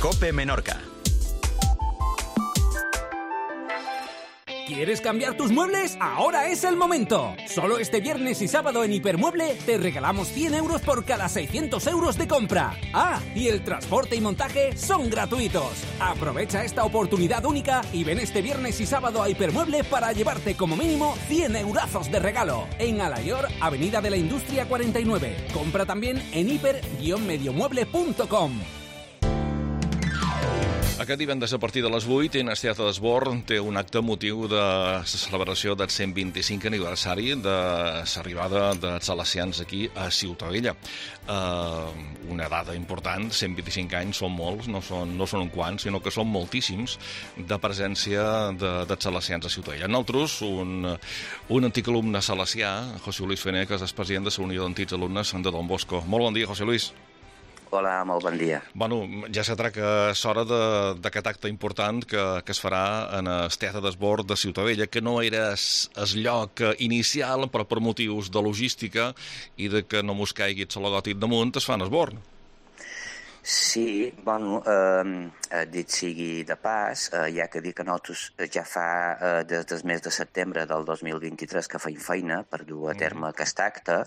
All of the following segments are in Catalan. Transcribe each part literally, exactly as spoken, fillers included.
COPE Menorca. ¿Quieres cambiar tus muebles? Ahora es el momento. Solo este viernes y sábado en Hipermueble te regalamos cien euros por cada seiscientos euros de compra. Ah, y el transporte y montaje son gratuitos. Aprovecha esta oportunidad única y ven este viernes y sábado a Hipermueble para llevarte como mínimo cien eurazos de regalo. En Alayor, Avenida de la Industria cuarenta y nueve. Compra también en hiper guion mediomueble punto com. Aquest divendres a partir de les vuit, Enes Teatre d'Esborn té un acte motiu de celebració del cent vint-i-cinquè aniversari de l'arribada dels salesians aquí a Ciutadella. Uh, una data important, cent vint-i-cinc anys són molts, no són, no són un quants, sinó que són moltíssims de presència de, dels salesians a Ciutadella. Nosaltres, un, un antic alumne salesià, José Luis Fené, que és president de la Unió d'Antics Alumnes de Don Bosco. Molt bon dia, José Luis. Hola, molt bon dia. Bueno, ja s'ha tret que és hora d'aquest acte important que, que es farà en el Teatre d'Esborn de Ciutadella, que no era el lloc inicial, però per motius de logística i de que no mos caigui el logòtip damunt, es fa en Esborn. Sí, bueno, eh, dit sigui de pas, eh, hi ha que dir que nosaltres ja fa eh, des del mes de setembre del dos mil vint-i-tres que feim feina per dur a terme aquest acte,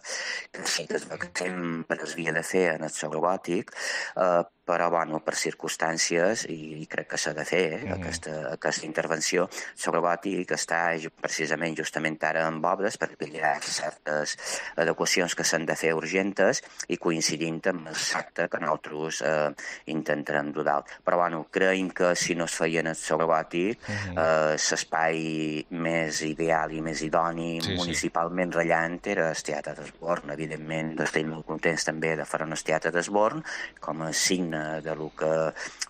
que sí que sempre es havia de fer en el logòtic, eh, però, bueno, per circumstàncies, i, i crec que s'ha de fer, eh, mm. aquesta, aquesta intervenció, el logòtic està precisament justament ara en obres, perquè hi ha certes adequacions que s'han de fer urgentes i coincidint amb el acte que nosaltres eh, intentarem dur dalt. Però, bueno, creiem que si no es feien el logòtic, mm. eh, l'espai més ideal i més idoni, sí, municipalment sí. rellant, era el Teatre d'Esborn. Evidentment, estem molt contents també de fer el Teatre d'Esborn com a signe de lo que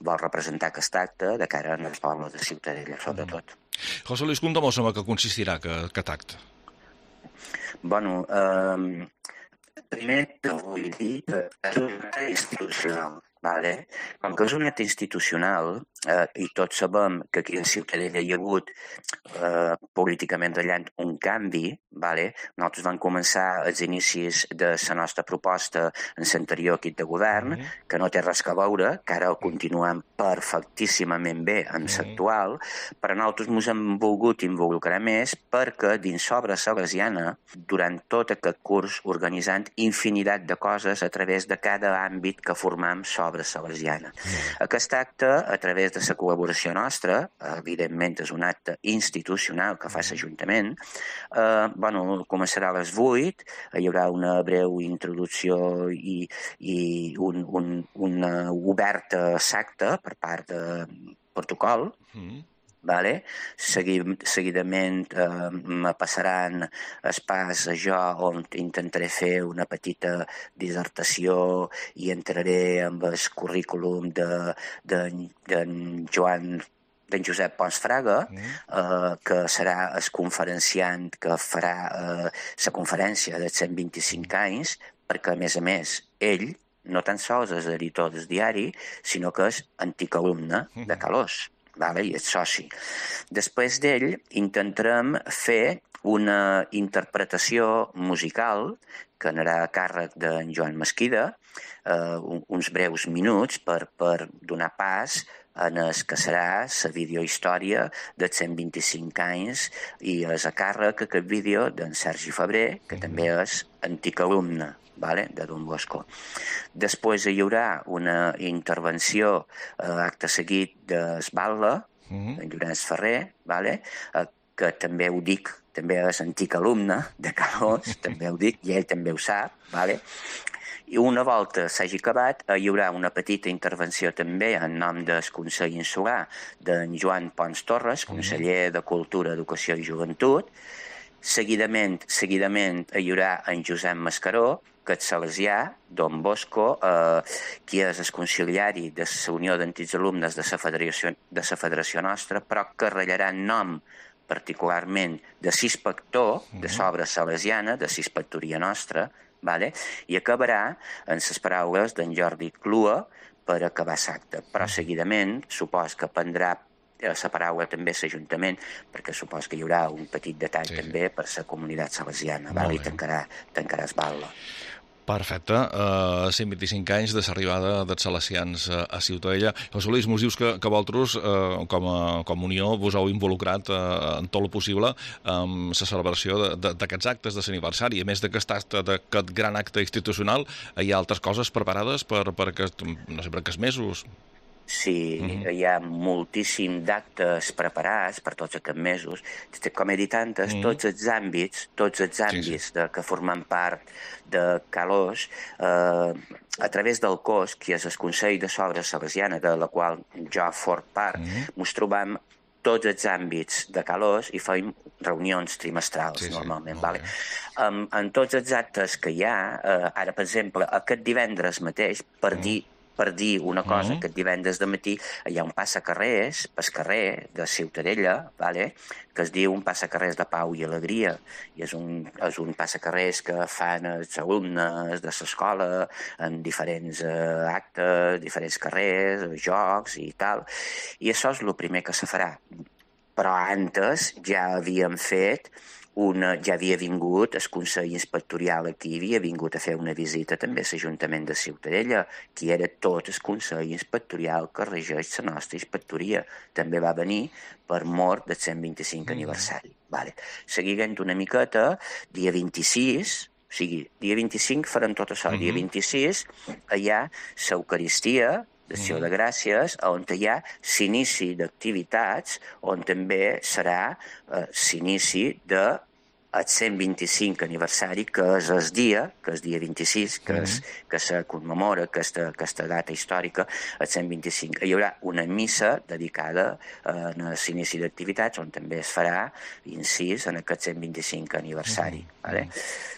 vol representar aquest acte de cara als pobles de Ciutadella, sobretot. Mm. José Luis, conta'm en què consistirà aquest acte. Bueno, eh, primer te vull dir que és un acte institucional, vale? Com que és un acte institucional, eh, i tots sabem que aquí a Ciutadella hi ha hagut eh, políticament rellant un canvi, vale? Nosaltres vam començar els inicis de la nostra proposta en l'anterior equip de govern, mm -hmm. que no té res a veure, que ara ho continuem perfectíssimament bé en l'actual, però nosaltres ens hem volgut involucrar més perquè dins l'obra salesiana, durant tot aquest curs, organitzant infinitat de coses a través de cada àmbit que formam l'obra salesiana. Mm. Aquest acte, a través de la col·laboració nostra, evidentment és un acte institucional que fa l'Ajuntament, eh, bueno, començarà a les vuit, hi haurà una breu introducció i, i un, un, una oberta acte per part de protocol, mm. Vale? Segui, seguidament eh, me passaran el pas a jo on intentaré fer una petita dissertació i entraré amb el currículum de, de, de Joan d'en Josep Pons Fraga, mm. eh, que serà el conferenciant que farà eh, la conferència dels cent vint-i-cinc anys, perquè, a més a més, ell no tan sols és editor del diari, sinó que és antic alumne mm. de Calós. Vale, i és soci. Després d'ell intentarem fer una interpretació musical que anarà a càrrec d'en Joan Mesquida, eh, uns breus minuts per, per donar pas en el que serà la videohistòria dels cent vint-i-cinc anys i és a càrrec aquest vídeo d'en Sergi Febrer, que també és antic alumne, vale, de Don Bosco. Després hi haurà una intervenció eh, acte seguit d'Esbalda, mm-hmm. en Llorenç Ferrer, vale, eh, que també ho dic, també és antic alumne de Calós, també ho dic, i ell també ho sap, vale. I una volta s'hagi acabat, hi haurà una petita intervenció també en nom del Consell Insular d'en Joan Pons Torres, conseller de Cultura, Educació i Joventut. Seguidament, seguidament hi haurà en Josep Mascaró, que és salesià, Don Bosco, eh, qui és el conciliari de la Unió d'Antics Alumnes de la Federació, de la Federació Nostra, però que rellarà en nom particularment de l'inspector de l'obra salesiana, de l'inspectoria nostra, vale? I acabarà en les paraules d'en Jordi Clua per acabar l'acte. Però seguidament, supos que prendrà la paraula també l'Ajuntament, perquè supos que hi haurà un petit detall sí. també per la comunitat salesiana, vale? I tancarà, tancarà Esbalda. Perfecte. Uh, cent vint-i-cinc anys de l'arribada dels salesians a, a Ciutadella. José Luis, mos dius que, que vosaltres, uh, com, a, com a Unió, vos heu involucrat uh, en tot el possible amb la celebració d'aquests actes de l'aniversari. A més d'aquest gran acte institucional, hi ha altres coses preparades per, per, aquest, no sé, per aquests mesos? Sí, uh-huh. Hi ha moltíssim d'actes preparats per tots aquests mesos. Com he dit antes, uh-huh. tots els àmbits, tots els àmbits sí, sí. De, que formen part de Calós, eh, a través del C O S, que és el Consell de Sogres Salesiana, de la qual jo fort part, uh-huh. ens trobam tots els àmbits de Calós i fem reunions trimestrals, sí, normalment. Sí, vale? En, en tots els actes que hi ha, eh, ara, per exemple, aquest divendres mateix, per uh-huh. dir per dir una cosa, mm-hmm. que divendres de matí hi ha un passacarrers pel carrer de Ciutadella, vale? Que es diu un passacarrers de pau i alegria, i és un, és un passacarrers que fan els alumnes de l'escola en diferents eh, actes, diferents carrers, jocs i tal, i això és el primer que se farà. Però antes ja havíem fet Una, ja havia vingut el Consell Inspectorial aquí, havia vingut a fer una visita també a l'Ajuntament de Ciutadella, que era tot el Consell Inspectorial que regeix la nostra inspectoria. També va venir per mort del cent vint-i-cinc mm. aniversari. Vale. Seguint una miqueta, dia vint-i-sis, o sigui, dia vint-i-cinc farem tot això, mm-hmm. dia vint-i-sis hi ha l'Eucaristia, d'acció de gràcies, on hi ha l'inici d'activitats, on també serà eh, l'inici de el cent vint-i-cinc aniversari, que és el dia, que és dia vint-i-sis, que, és, que se commemora aquesta, aquesta data històrica, el cent vint-i-cinc. Hi haurà una missa dedicada a l'inici d'activitats, on també es farà incís en aquest cent vint-i-cinc aniversari. Mm-hmm. Vale?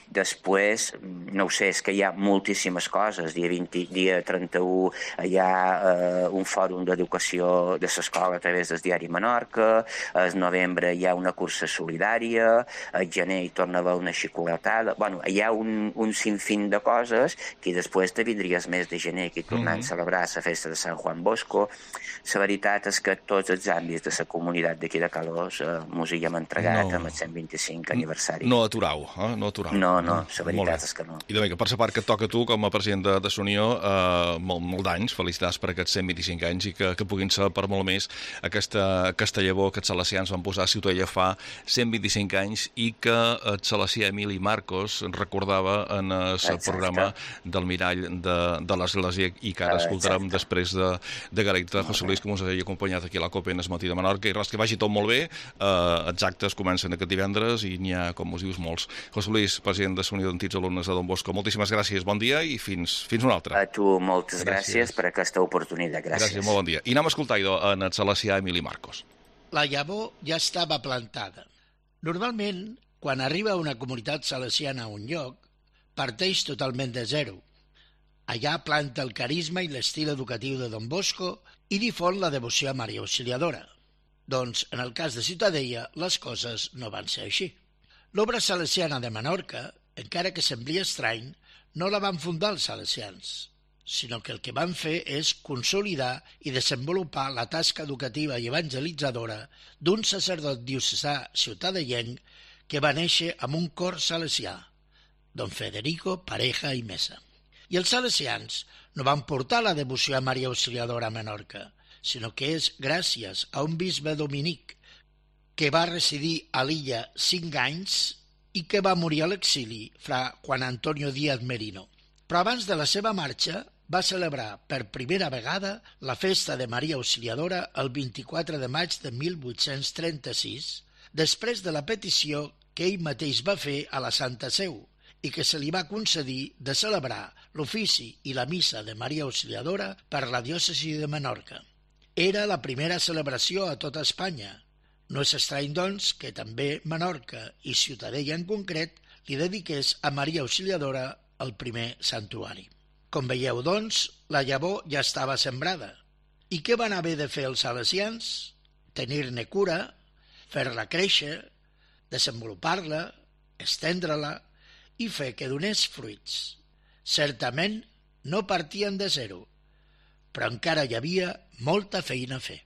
Després, no ho sé, és que hi ha moltíssimes coses. Dia, vint, dia trenta-u hi ha eh, un fòrum d'educació de l'escola a través del diari Menorca, al novembre hi ha una cursa solidària, al gener hi torna a haver una xicolatada. Bueno, hi ha un, un sinfín de coses que després te vindria el mes de gener, que hi tornant mm-hmm. a celebrar la festa de Sant Juan Bosco. La veritat és que tots els àmbits de la comunitat d'aquí de Calós eh, mos hi hem entregat no. amb el cent vint-i-cinc aniversari. No aturau, eh? No aturau. No, no, la veritat és que no. I també, per la part que et toca a tu, com a president de, de l'Unió, eh, molt, molt d'anys, felicitats per aquests cent vint-i-cinc anys i que, que puguin ser per molt més aquesta, aquesta llavor que els salesians van posar a Ciutadella fa cent vint-i-cinc anys i que el salesià Emili Marcos recordava en el Exacte. Programa del Mirall de, de l'Església i que ara escoltarem Exacte. Després de, de Galecta, José Luis, que ens hagi acompanyat aquí a la Copa en el matí de Menorca, i res, que vagi tot molt bé. Eh, els actes comencen aquest divendres i n'hi ha, com us dius, molts. José Luis, president de l'Unió d'Antics Alumnes de Don Bosco, moltíssimes gràcies, bon dia i fins, fins una altra. A tu moltes gràcies, gràcies per aquesta oportunitat. Gràcies. Gràcies, molt bon dia. I anem a escoltar en el salesià Emili Marcos. La llavor ja estava plantada. Normalment, quan arriba una comunitat salesiana a un lloc, parteix totalment de zero. Allà planta el carisma i l'estil educatiu de Don Bosco i difon la devoció a Maria Auxiliadora. Doncs, en el cas de Ciutadella, les coses no van ser així. L'obra salesiana de Menorca, encara que semblia estrany, no la van fundar els salesians, sinó que el que van fer és consolidar i desenvolupar la tasca educativa i evangelitzadora d'un sacerdot diocesà ciutadellenc que va néixer amb un cor salesià, don Federico Pareja i Mesa. I els salesians no van portar la devoció a Maria Auxiliadora a Menorca, sinó que és gràcies a un bisbe dominic que va residir a l'illa cinc anys i que va morir a l'exili, fra Juan Antonio Díaz Merino. Però abans de la seva marxa va celebrar per primera vegada la festa de Maria Auxiliadora el vint-i-quatre de maig de mil vuit-cents trenta-sis, després de la petició que ell mateix va fer a la Santa Seu i que se li va concedir de celebrar l'ofici i la missa de Maria Auxiliadora per la diòcesi de Menorca. Era la primera celebració a tota Espanya. No és estrany, doncs, que també Menorca i Ciutadella en concret li dediqués a Maria Auxiliadora el primer santuari. Com veieu, doncs, la llavor ja estava sembrada. I què van haver de fer els salesians? Tenir-ne cura, fer-la créixer, desenvolupar-la, estendre-la i fer que donés fruits. Certament no partien de zero, però encara hi havia molta feina a fer.